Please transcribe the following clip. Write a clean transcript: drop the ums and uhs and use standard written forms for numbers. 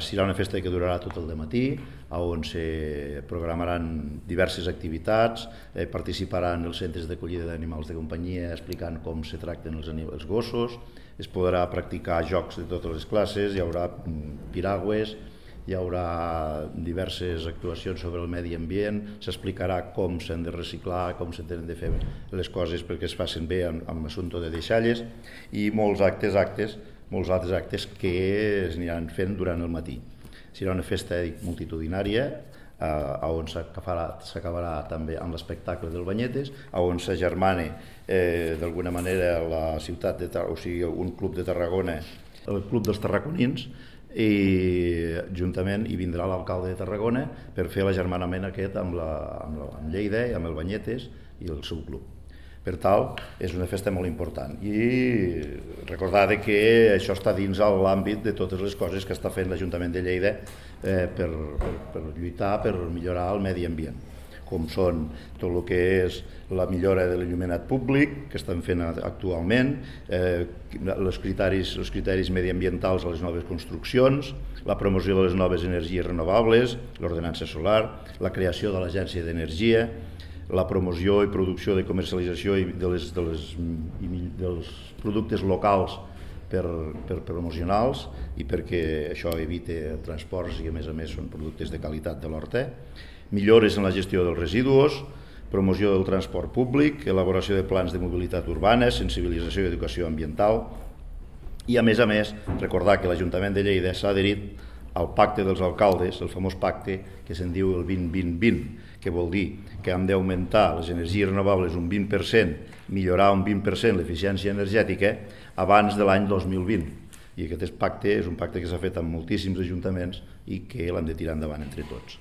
serà una festa que durarà tot el dematí, on se programaran diverses activitats, participaran els centres d'acollida d'animals de companyia explicant com se tracten els gossos, es podrà practicar jocs de totes les classes, hi haurà piragües, hi haurà diverses actuacions sobre el medi ambient, s'explicarà com s'han de reciclar, com s'han de fer les coses perquè es facin bé amb l'assumpte de deixalles, i molts altres actes que es aniran fent durant el matí. Serà una festa multitudinària, on s'acabarà també amb l'espectacle del Banyetes, on s'agermana d'alguna manera la ciutat, o sigui, un club de Tarragona, el Club dels Tarraconins, i juntament hi vindrà l'alcalde de Tarragona per fer l'agermanament aquest amb Lleida i amb el Banyetes i el seu club. Per tant, és una festa molt important i recordar que això està dins l'àmbit de totes les coses que està fent l'Ajuntament de Lleida per lluitar, per millorar el medi ambient, com són tot el que és la millora de l'il·luminat públic que estan fent actualment, els criteris mediambientals a les noves construccions, la promoció de les noves energies renovables, l'ordenança solar, la creació de l'Agència d'Energia, la promoció i producció de comercialització dels productes locals per promocionals i perquè això evite transports i a més són productes de qualitat de l'horta, millores en la gestió dels residus, promoció del transport públic, elaboració de plans de mobilitat urbana, sensibilització i educació ambiental i a més recordar que l'Ajuntament de Lleida s'ha adherit al pacte dels alcaldes, el famós pacte que se'n diu el 20-20-20, que vol dir que hem d'augmentar les energies renovables un 20%, millorar un 20% l'eficiència energètica abans de l'any 2020. I aquest pacte és un pacte que s'ha fet amb moltíssims ajuntaments i que l'hem de tirar endavant entre tots.